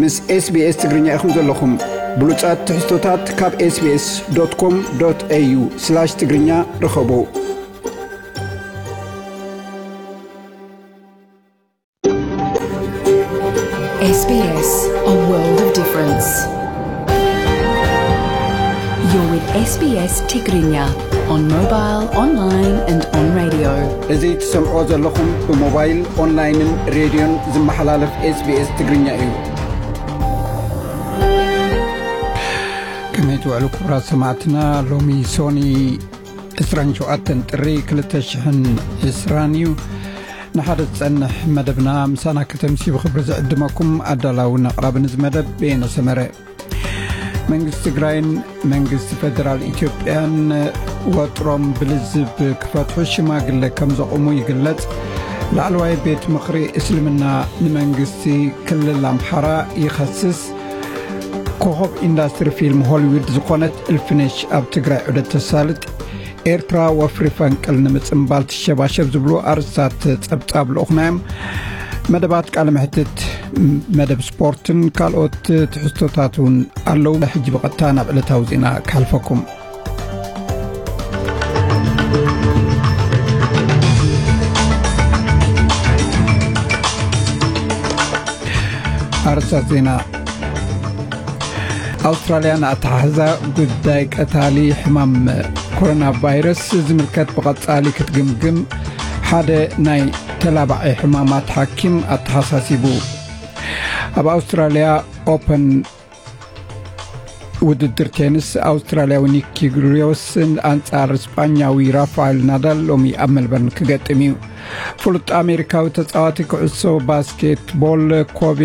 ምስ SBS ትግርኛ ኢኹም ዘለኹም። ብሉጻት ትሕዝቶታት ካብ SBS.com.au/ትግርኛ ርኸቡ። S B S, a world of difference. You're with S B S Tigrinya on mobile, online and on radio. እዚ ትሰምዖ ዘለኹም ብሞባይል፣ ኦንላይንን ሬድዮን ዝመሓላለፍ SBS ትግርኛ እዩ። ከመይ ትውዕሉ ክቡራት ሰማዕትና? ሎሚ ሶኒ ዕስራን ሸውዓተን ጥሪ ክልተ ሽሕን ዕስራን እዩ። ንሓደ ዝጸንሕ መደብና ምሳና ከተምሲ ብኽብሪ ዝዕድመኩም ኣዳላውን ኣቕራብን እዚ መደብ በየነ ሰመረ። መንግስቲ ትግራይን መንግስቲ ፌደራል ኢትዮጵያን ወጥሮም ብልዝብ ክፈትሑ ሽማግለ ከም ዘቑሙ ይግለጽ። ላዕለዋይ ቤት ምኽሪ እስልምና ንመንግስቲ ክልል ኣምሓራ ይኸስስ። ኮኸብ ኢንዳስትሪ ፊልም ሆሊውድ ዝኾነት እልፍነሽ ኣብ ትግራይ ዑደት ተሳልጥ። ኤርትራ ወፍሪ ፈንቅል ንምጽንባል ትሸባሸብ ዝብሉ ኣርእስታት ጸብጻብ ልኡኽና እዮም። መደባት ቃለ መሕትት፣ መደብ ስፖርትን ካልኦት ትሕዝቶታት እውን ኣለዉ። ሕጂ ብቐጥታ ናብ ዕለታዊ ዜና ክሓልፈኩም። ኣርእስታት ዜና። ኣውስትራልያ ንኣተሓሕዛ ጉዳይ ቀታሊ ሕማም ኮሮና ቫይረስ ዝምልከት ብቐጻሊ ክትግምግም ሓደ ናይ ተላባዒ ሕማማት ሓኪም ኣተሓሳሲቡ። ኣብ ኣውስትራልያ ኦፐን ውድድር ቴኒስ፣ ኣውስትራልያዊ ኒክ ኪሪዮስ ኣንጻር ስጳኛዊ ራፋኤል ናዳል ሎሚ ኣብ መልበርን ክገጥም እዩ። ፍሉጥ ኣሜሪካዊ ተጻዋቲ ኩዕሶ ባስኬትቦል ኮቤ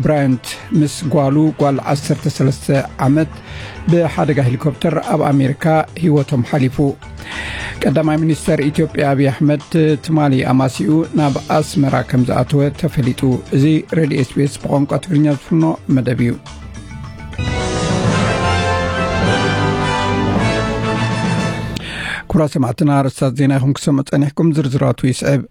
ብራያንት ምስ ጓሉ፣ ጓል ዓሰርተ ሰለስተ ዓመት፣ ብሓደጋ ሄሊኮፕተር ኣብ ኣሜሪካ ህይወቶም ሓሊፉ። ቀዳማይ ሚኒስተር ኢትዮጵያ ኣብይ ኣሕመድ ትማሊ ኣማሲኡ ናብ ኣስመራ ከም ዝኣተወ ተፈሊጡ። እዚ ሬድዮ SBS ብቋንቋ ትግርኛ ዝፍኖ መደብ እዩ። ክቡራት ሰማዕትና፣ ኣርእስታት ዜና ኢኹም ክሰምዑ ጸኒሕኩም። ዝርዝራቱ ይስዕብ።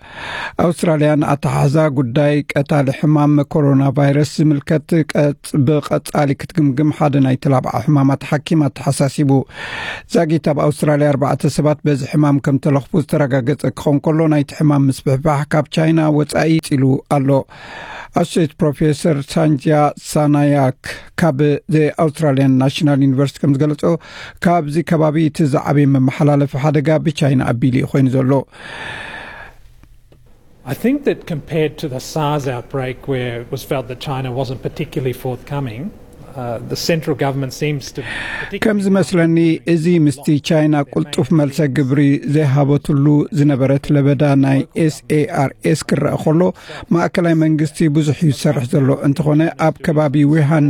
ኣውስትራልያ ንኣተሓሕዛ ጉዳይ ቀታሊ ሕማም ኮሮና ቫይረስ ዝምልከት ቀጽ-፣ ብቐጻሊ ክትግምግም ሓደ ናይ ተላብዓ ሕማማት ሓኪም ኣተሓሳሲቡ። ዛጊት ኣብ ኣውስትራልያ ኣርባዕተ ሰባት በዚ ሕማም ከም ተለኽፉ ዝተረጋገጸ ክኸውን ከሎ፣ ናይቲ ሕማም ምስፍሕፋሕ ካብ ቻይና ወጻኢ ቀጺሉ ኣሎ። ኣሶሴት ፕሮፌሰር ሳንጃ ሳናያክ ካብ ዘ ኣውስትራልያን ናሽናል ዩኒቨርሲቲ ከም ዝገለጾ፣ ካብዚ ከባቢ እቲ ዝዓበየ መመሓላለፊ ሓደጋ ብቻይና ኣቢሉ እዩ ኮይኑ ዘሎ። I think that compared to the SARS outbreak, where it was felt that China wasn't particularly forthcoming, uh, the central government seems to particularly ከም ዝመስለኒ፣ እዚ ምስቲ ቻይና ቅልጡፍ መልሰ ግብሪ ዘይሃበትሉ ዝነበረት ለበዳ ናይ ኤስኤኣርኤስ ክረአ ከሎ፣ ማእከላይ መንግስቲ ብዙሕ እዩ ዝሰርሕ ዘሎ። እንተኾነ፣ ኣብ ከባቢ ውሃን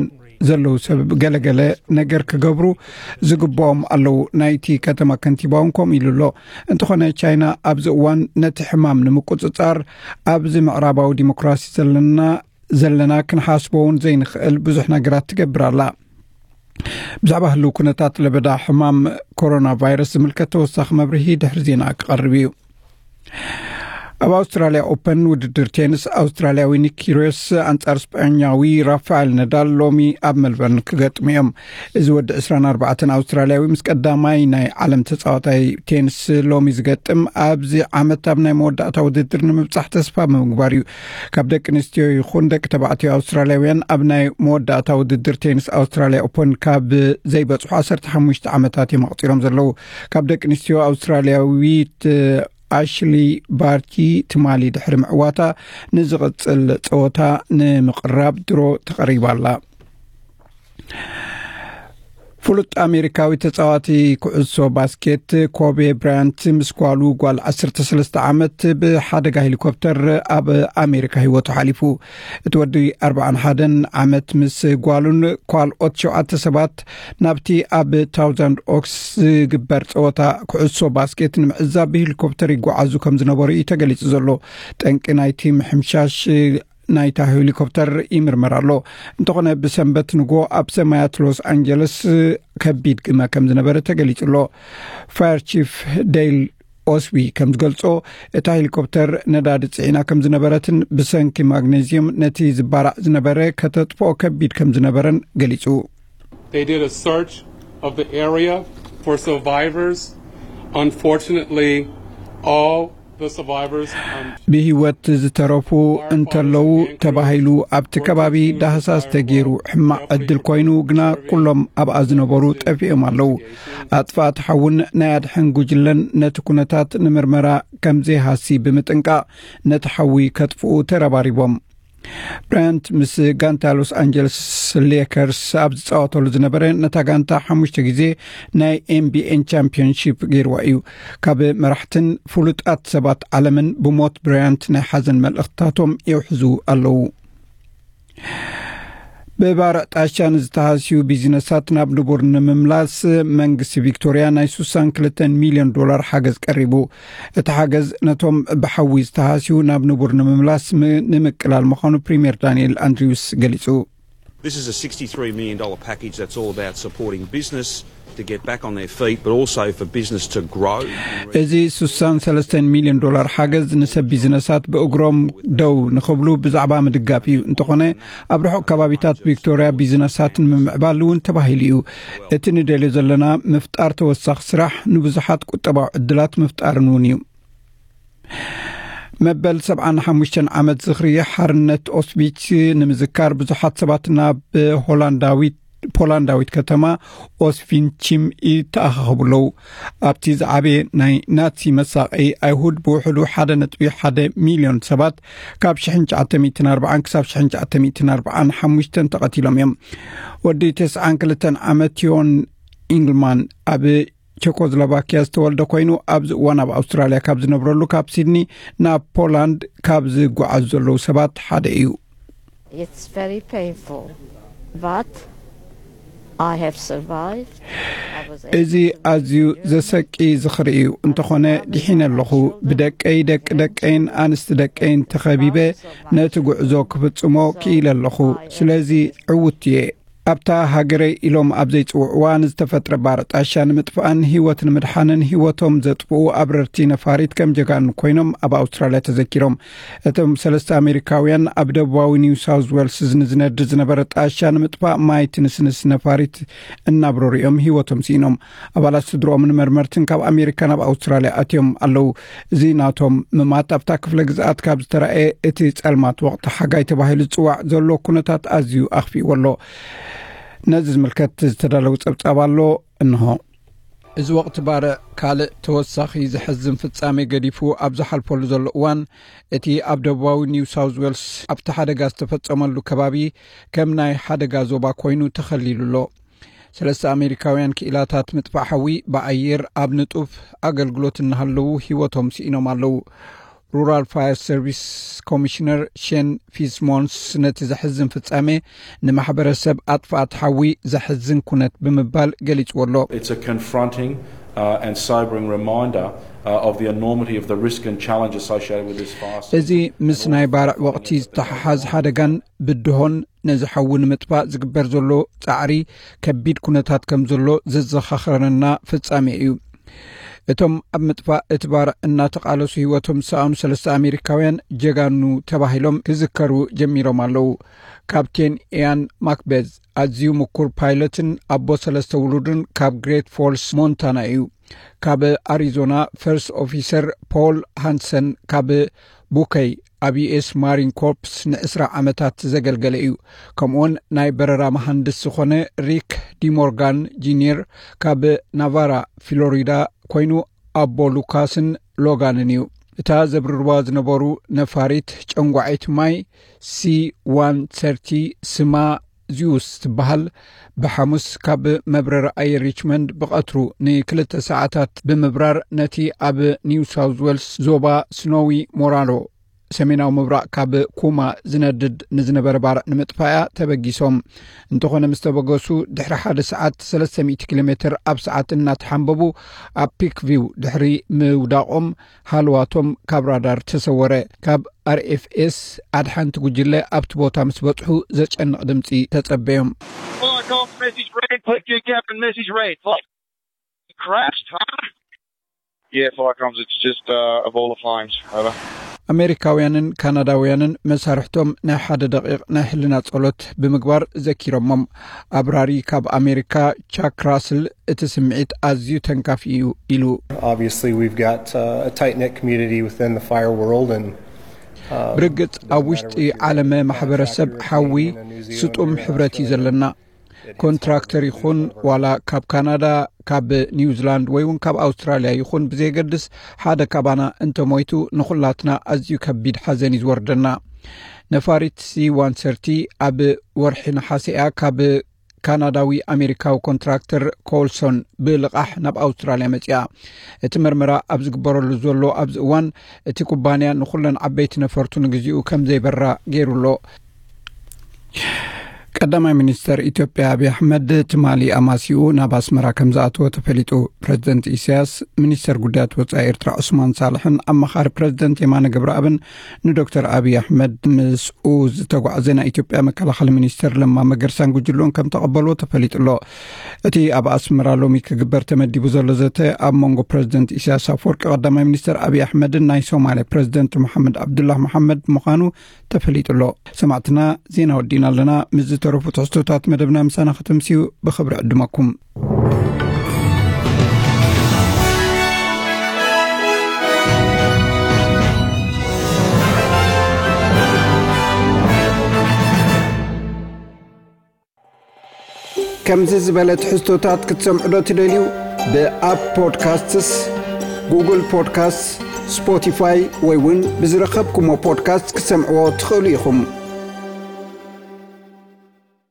ዘለዉ ሰብ ገለገለ ነገር ክገብሩ ዝግብኦም ኣለዉ። ናይቲ ከተማ ከንቲባ እውን ከምኡ ኢሉ ኣሎ። እንተኾነ፣ ቻይና ኣብዚ እዋን ነቲ ሕማም ንምቁጽጻር ኣብዚ ምዕራባዊ ዲሞክራሲ ዘለና፣ ዘለና ክንሓስቦ እውን ዘይንኽእል ብዙሕ ነገራት ትገብር ኣላ። ብዛዕባ ህልው ኩነታት ለበዳ ሕማም ኮሮና ቫይረስ ዝምልከት ተወሳኺ መብርሂ ድሕሪ ዜና ክቐርብ እዩ። ኣብ ኣውስትራልያ ኦፐን ውድድር ቴንስ፣ ኣውስትራልያዊ ኒክ ኪሪዮስ ኣንጻር ስጳኛዊ ራፋኤል ነዳል ሎሚ ኣብ መልበርን ክገጥሙ እዮም። እዚ ወዲ ዕስራን ኣርባዕተን ኣውስትራልያዊ ምስ ቀዳማይ ናይ ዓለም ተጻዋታይ ቴንስ ሎሚ ዝገጥም፣ ኣብዚ ዓመት ኣብ ናይ መወዳእታ ውድድር ንምብጻሕ ተስፋ ብምግባር እዩ። ካብ ደቂ ኣንስትዮ ይኹን ደቂ ተባዕትዮ ኣውስትራልያውያን ኣብ ናይ መወዳእታ ውድድር ቴንስ ኣውስትራልያ ኦፐን ካብ ዘይበጽሑ ዓሰርተ ሓሙሽተ ዓመታት እዮም ኣቑጺሮም ዘለዉ። ካብ ደቂ ኣንስትዮ ኣውስትራልያዊት ኣሽሊ ባርቲ ትማሊ ድሕሪ ምዕዋታ፣ ንዝቕጽል ጸወታ ንምቕራብ ድሮ ተቐሪባ ኣላ። ፍሉጥ ኣሜሪካዊ ተጻዋቲ ኩዕሶ ባስኬት ኮቤ ብራያንት ምስ ጓሉ፣ ጓል ዓሰርተ ሰለስተ ዓመት፣ ብሓደጋ ሄሊኮፕተር ኣብ ኣሜሪካ ህይወቱ ሓሊፉ። እቲ ወዲ ኣርብዓን ሓደን ዓመት ምስ ጓሉን ካልኦት ሸውዓተ ሰባት ናብቲ ኣብ ታውዛንድ ኦክስ ዝግበር ጸወታ ኩዕሶ ባስኬት ንምዕዛብ ብሄሊኮፕተር ይጓዓዙ ከም ዝነበሩ እዩ ተገሊጹ ዘሎ። ጠንቂ ናይቲ ምሕምሻሽ ናይታ ሄሊኮፕተር ይምርመር ኣሎ። እንተኾነ፣ ብሰንበት ንግሆ ኣብ ሰማያት ሎስ ኣንጀለስ ከቢድ ግመ ከም ዝነበረ ተገሊጹ ኣሎ። ፋየር ቺፍ ዴይል ኦስቢ ከም ዝገልጾ፣ እታ ሄሊኮፕተር ነዳዲ ጽዒና ከም ዝነበረትን ብሰንኪ ማግኔዝየም ነቲ ዝባራዕ ዝነበረ ከተጥፍኦ ከቢድ ከም ዝነበረን ገሊጹ። They did a search of the area for survivors. Unfortunately, all the survivors. Um, ብህይወት ዝተረፉ እንተለዉ ተባሂሉ ኣብቲ ከባቢ ዳህሳስ ተገይሩ ሕማቕ ዕድል ኮይኑ፣ ግና ኩሎም ኣብኣ ዝነበሩ ጠፊኦም ኣለዉ። ኣጥፋእቲ ሓውን ናይ ኣድሕን ጉጅለን ነቲ ኩነታት ንምርመራ ከም ዘይሃሲ ብምጥንቃቕ፣ ነቲ ሓዊ ከጥፍኡ ተረባሪቦም። ብራያንት ምስ ጋንታ ሎስ ኣንጀለስ ሌከርስ ኣብ ዝጻወተሉ ዝነበረ፣ ነታ ጋንታ ሓሙሽተ ግዜ ናይ ኤንቢኤን ቻምፒዮንሺፕ ገይርዋ እዩ። ካብ መራሕትን ፍሉጣት ሰባት ዓለምን ብሞት ብራያንት ናይ ሓዘን መልእኽትታቶም የውሕዙ ኣለዉ። ብባርዕ ጣሻ ንዝተሃስዩ ቢዝነሳት ናብ ንቡር ንምምላስ መንግስቲ ቪክቶርያ ናይ ስሳን ክልተን ሚልዮን ዶላር ሓገዝ ቀሪቡ። እቲ ሓገዝ ነቶም ብሓዊ ዝተሃስዩ ናብ ንቡር ንምምላስ ም-፣ ንምቅላል ምዃኑ ፕሪምየር ዳንኤል ኣንድሪውስ ገሊጹ። This is a sixty-three million dollar package that's all about supporting business to get back on their feet, but also for business to grow. እዚ ስሳን ሰለስተን ሚልዮን ዶላር ሓገዝ ንሰብ ቢዝነሳት ብእግሮም ደው ንኽብሉ ብዛዕባ ምድጋፍ እዩ። እንተኾነ፣ ኣብ ርሑቕ ከባቢታት ቪክቶርያ ቢዝነሳት ንምምዕባል እውን ተባሂሉ እዩ። እቲ ንደልዮ ዘለና ምፍጣር ተወሳኺ ስራሕ፣ ንብዙሓት ቁጠባዊ ዕድላት ምፍጣርን እውን እዩ። መበል ሰብዓን ሓሙሽተን ዓመት ዝኽሪ ሓርነት ኦስቢች ንምዝካር ብዙሓት ሰባት ናብ ሆላንዳዊት፣ ፖላንዳዊት ከተማ ኦስቪንቺም ይተኣኻኸቡ ኣለዉ። ኣብቲ ዝዓበየ ናይ ናዚ መሳቐዪ ኣይሁድ ብውሕዱ ሓደ ነጥቢ ሓደ ሚልዮን ሰባት ካብ ሽሕን ትሽዓተ ሚእትን ኣርባዓን ክሳብ ሽሕን ትሽዓተ ሚእትን ኣርባዓን ሓሙሽተን ተቐቲሎም እዮም። ወዲ ተስዓን ክልተን ዓመት ዮን ኢንግልማን ኣብ ቸኮስሎቫኪያ ዝተወልደ ኮይኑ፣ ኣብዚ እዋን ኣብ ኣውስትራልያ ካብ ዝነብረሉ ካብ ሲድኒ ናብ ፖላንድ ካብ ዝጓዓዙ ዘለዉ ሰባት ሓደ እዩ። It's very painful, but I have survived. I was able እዚ to ኣዝዩ return. ዘሰቂ ዝኽሪ እዩ። እንተኾነ ድሒነ ኣለኹ። ብደቀይ፣ ደቂ ደቀይን ኣንስቲ ደቀይን ተኸቢበ ነቲ ጉዕዞ ክፍጽሞ ክኢለ ኣለኹ። ስለዚ ዕውት እየ። ኣብታ ሃገረይ ኢሎም ኣብ ዘይጽውዕዋ ንዝተፈጥረ ባርዕ ጣሻ ንምጥፋእን ህይወት ንምድሓንን ህይወቶም ዘጥፍኡ ኣብረርቲ ነፋሪት ከም ጀጋኑ ኮይኖም ኣብ ኣውስትራልያ ተዘኪሮም። እቶም ሰለስተ ኣሜሪካውያን ኣብ ደቡባዊ ኒው ሳውዝ ዌልስ ንዝነድድ ዝነበረ ጣሻ ንምጥፋእ ማይ ትንስንስ ነፋሪት እናብረሩ እዮም ህይወቶም ስኢኖም። ኣባላት ስድርኦምን መርመርትን ካብ ኣሜሪካ ናብ ኣውስትራልያ ኣትዮም ኣለዉ። እዚ ናቶም ምማት ኣብታ ክፍለ ግዝኣት ካብ ዝተራእየ እቲ ጸልማት ወቕቲ ሓጋይ ተባሂሉ ዝጽዋዕ ዘሎ ኩነታት ኣዝዩ ኣኽፊእዎ ኣሎ። ነዚ ዝምልከት ዝተዳለወ ጸብጻብ ኣሎ፣ እንሆ። እዚ ወቕቲ ባርዕ ካልእ ተወሳኺ ዘሕዝን ፍጻሜ ገዲፉ ኣብ ዝሓልፈሉ ዘሎ እዋን፣ እቲ ኣብ ደቡባዊ ኒው ሳውዝ ዌልስ ኣብቲ ሓደጋ ዝተፈጸመሉ ከባቢ ከም ናይ ሓደጋ ዞባ ኮይኑ ተኸሊሉ ኣሎ። ሰለስተ ኣሜሪካውያን ክኢላታት ምጥፋእ ሓዊ ብኣየር ኣብ ንጡፍ ኣገልግሎት እናሃለዉ ህይወቶም ስኢኖም ኣለዉ። ሩራል ፋየር ሰርቪስ ኮሚሽነር ሼን ፊስሞንስ ነቲ ዘሕዝን ፍጻሜ ንማሕበረሰብ ኣጥፋእቲ ሓዊ ዘሕዝን ኩነት ብምባል ገሊጽዎ ኣሎ። It's a confronting uh, and sobering reminder uh, of the enormity of the risk and challenge associated with this fire. እዚ ምስ ናይ ባርዕ ወቕቲ ዝተሓሓዝ ሓደጋን ብድሆን፣ ነዚ ሓዊ ንምጥፋእ ዝግበር ዘሎ ጻዕሪ ከቢድ ኩነታት ከም ዘሎ ዘዘኻኽረና ፍጻሜ እዩ። እቶም ኣብ ምጥፋእ እቲ ባርዕ እናተቓለሱ ህይወቶም ዝሰኣኑ ሰለስተ ኣሜሪካውያን ጀጋኑ ተባሂሎም ክዝከሩ ጀሚሮም ኣለዉ። ካፕቴን ኢያን ማክቤዝ ኣዝዩ ምኩር ፓይለትን ኣቦ ሰለስተ ውሉድን ካብ ግሬት ፎልስ ሞንታና እዩ። ካብ ኣሪዞና ፈርስት ኦፊሰር ፖል ሃንሰን ካብ ቡከይ ኣብ ዩኤስ ማሪን ኮርፕስ ንዕስራ ዓመታት ዘገልገለ እዩ። ከምኡውን ናይ በረራ መሃንድስ ዝኾነ ሪክ ዲሞርጋን ጂኒየር ካብ ናቫራ ፍሎሪዳ ኮይኑ ኣቦ ሉካስን ሎጋንን እዩ። እታ ዘብርርዋ ዝነበሩ ነፋሪት ጨንጓዒት ማይ ሲ ዋን ሰርቲ ስማ ዚዩስ ትበሃል ብሓሙስ ካብ መብረሪ ኣየር ሪችመንድ ብቐትሩ ንክልተ ሰዓታት ብምብራር ነቲ ኣብ ኒው ሳውዝ ዌልስ ዞባ ስኖዊ ሞራሎ ሰሜናዊ ምብራቕ ካብ ኩማ ዝነድድ ንዝነበረ ባርዕ ንምጥፋእያ ተበጊሶም። እንተኾነ ምስ ተበገሱ ድሕሪ ሓደ ሰዓት ሰለስተ ሚእቲ ኪሎ ሜትር ኣብ ሰዓት እናተሓንበቡ ኣብ ፒክ ቪው ድሕሪ ምውዳቖም ሃልዋቶም ካብ ራዳር ተሰወረ። ካብ ኣርኤፍኤስ ኣድሓንቲ ጉጅለ ኣብቲ ቦታ ምስ በጽሑ ዘጨንቕ ድምጺ ተጸበዮም። Fuck off, message read. Click your cap and message read. Fuck. Crashed, huh? Yeah, firearms, it's just uh, a ball of flames. Over. ኣሜሪካውያንን ካናዳውያንን መሳርሕቶም ናይ ሓደ ደቂቕ ናይ ሕልና ጸሎት ብምግባር ዘኪሮሞም። ኣብራሪ ካብ ኣሜሪካ ቻክ ራስል እቲ ስምዒት ኣዝዩ ተንካፊ እዩ ኢሉ። Obviously, we've got uh, a tight knit community within the fire world, and uh, ብርግጽ ኣብ ውሽጢ ዓለመ ማሕበረሰብ ሓዊ ስጡም ሕብረት እዩ ዘለና። ኮንትራክተር ይኹን ዋላ ካብ ካናዳ፣ ካብ ኒውዚላንድ ወይ እውን ካብ ኣውስትራልያ ይኹን ብዘየገድስ፣ ሓደ ካባና እንተሞይቱ ንኹላትና ኣዝዩ ከቢድ ሓዘን እዩ ዝወርደና። ነፋሪት ሲ ዋን ሰርቲ ኣብ ወርሒ ነሓሰ እያ ካብ ካናዳዊ ኣሜሪካዊ ኮንትራክተር ኮልሶን ብልቓሕ ናብ ኣውስትራልያ መጺኣ። እቲ መርመራ ኣብ ዝግበረሉ ዘሎ ኣብዚ እዋን፣ እቲ ኩባንያ ንኹለን ዓበይቲ ነፈርቱ ንግዚኡ ከም ዘይበራ ገይሩ ኣሎ። ቀዳማይ ሚኒስተር ኢትዮጵያ ኣብይ ኣሕመድ ትማሊ ኣማሲኡ ናብ ኣስመራ ከም ዝኣተወ ተፈሊጡ። ፕረዚደንት ኢሳያስ፣ ሚኒስተር ጉዳያት ወጻኢ ኤርትራ ዑስማን ሳልሕን ኣማኻሪ ፕረዚደንት የማነ ገብረኣብን ንዶክተር ኣብይ ኣሕመድ ምስኡ ዝተጓዕዘ ናይ ኢትዮጵያ መከላኸሊ ሚኒስተር ለማ መገርሳን ጉጅልኡን ከም ተቐበልዎ ተፈሊጡ ኣሎ። እቲ ኣብ ኣስመራ ሎሚ ክግበር ተመዲቡ ዘሎ ዘተ ኣብ መንጎ ፕረዚደንት ኢሳያስ ኣፈወርቂ ቀዳማይ ሚኒስተር ኣብይ ኣሕመድን ናይ ሶማልያ ፕረዚደንት መሓመድ ኣብዱላህ መሓመድ ምዃኑ ተፈሊጡ ኣሎ። ሰማዕትና፣ ዜና ወዲእና ኣለና። ምስ ዝተረፉ ትሕዝቶታት መደብና ምሳና ከተምስዩ ብኽብሪ ዕድመኩም። ከምዚ ዝበለ ትሕዝቶታት ክትሰምዑ ዶ ትደልዩ? ብኣፕ ፖድካስትስ፣ ጉግል ፖድካስትስ፣ ስፖቲፋይ ወይ እውን ብዝረኸብኩሞ ፖድካስት ክትሰምዕዎ ትኽእሉ ኢኹም።